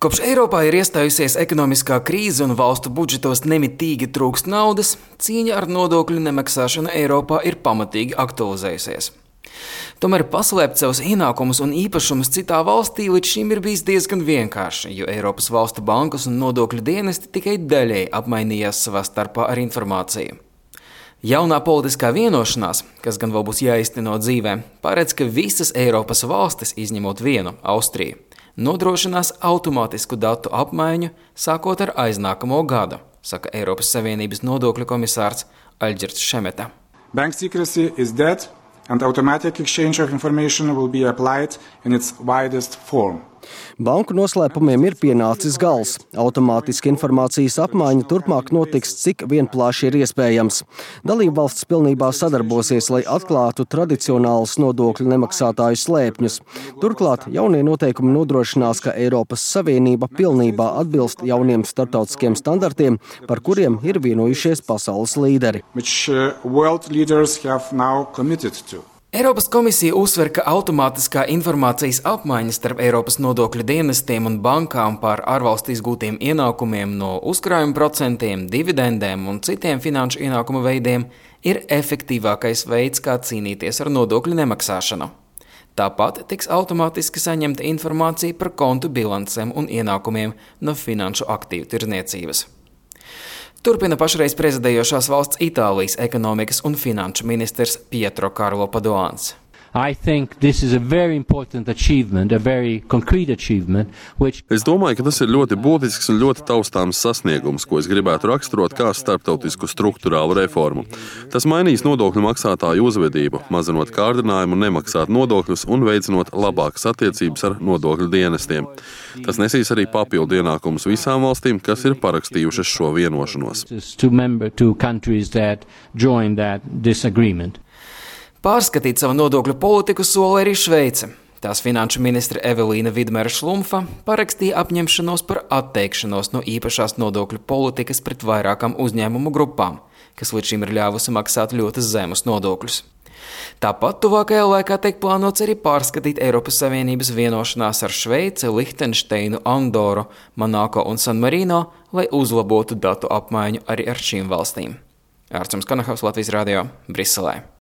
Kopš Eiropā ir iestājusies ekonomiskā krīze un valstu budžetos nemitīgi trūkst naudas, cīņa ar nodokļu nemaksāšanu Eiropā ir pamatīgi aktualizējusies. Tomēr paslēpt savus ienākumus un īpašumus citā valstī līdz šim ir bijis diezgan vienkārši, jo Eiropas valstu bankas un nodokļu dienesti tikai daļēji apmainījās savā starpā ar informāciju. Jaunā politiskā vienošanās, kas gan vēl būs jāizteno dzīvē, paredz, ka visas Eiropas valstis, izņemot vienu, Austriju, nodrošinās automātisku datu apmaiņu sākot ar aiznākamo gadu, saka Eiropas Savienības nodokļu komisārs Alģirds Šemeta. Bank secrecy is dead and automatic exchange of information will be applied in its widest form. Banku noslēpumiem ir pienācis gals. Automātiski informācijas apmaiņa turpmāk notiks, cik vien plaši ir iespējams. Dalībvalstis pilnībā sadarbosies, lai atklātu tradicionālus nodokļu nemaksātāju slēpņus. Turklāt jaunie noteikumi nodrošinās, ka Eiropas Savienība pilnībā atbilst jauniem starptautiskiem standartiem, par kuriem ir vienojušies pasaules līderi. Eiropas komisija uzsver, ka automātiskā informācijas apmaiņa starp Eiropas nodokļu dienestiem un bankām par ārvalstu izgūtiem ienākumiem no uzkrājuma procentiem, dividendēm un citiem finanšu ienākumu veidiem ir efektīvākais veids, kā cīnīties ar nodokļu nemaksāšanu. Tāpat tiks automātiski saņemta informācija par kontu bilancēm un ienākumiem no finanšu aktīvu tirdzniecības. Turpina pašreiz prezidējošās valsts Itālijas ekonomikas un finanšu ministrs Pietro Karlo Padoans. Es domāju, ka tas ir ļoti būtisks un ļoti taustāms sasniegums, ko es gribētu raksturot kā starptautisku struktūrālu reformu. Tas mainīs nodokļu maksātāju uzvedību, mazinot kārdinājumu nemaksāt nodokļus un veicinot labākas attiecības ar nodokļu dienestiem. Tas nesīs arī papildu ienākumus visām valstīm, kas ir parakstījušas šo vienošanos. Pārskatīt savu nodokļu politiku sola arī Šveice. Tās finanšu ministre Evelīna Vidmera Šlumfa parakstīja apņemšanos par atteikšanos no īpašās nodokļu politikas pret vairākām uzņēmumu grupām, kas līdz šim ir ļāvusi maksāt ļoti zemus nodokļus. Tāpat tuvākajā laikā tiek plānots arī pārskatīt Eiropas Savienības vienošanās ar Šveici, Lihtenšteinu, Andoru, Monako un San Marino, lai uzlabotu datu apmaiņu arī ar šīm valstīm. Ārčuns Kanahavs, Latvijas radio, Briselē.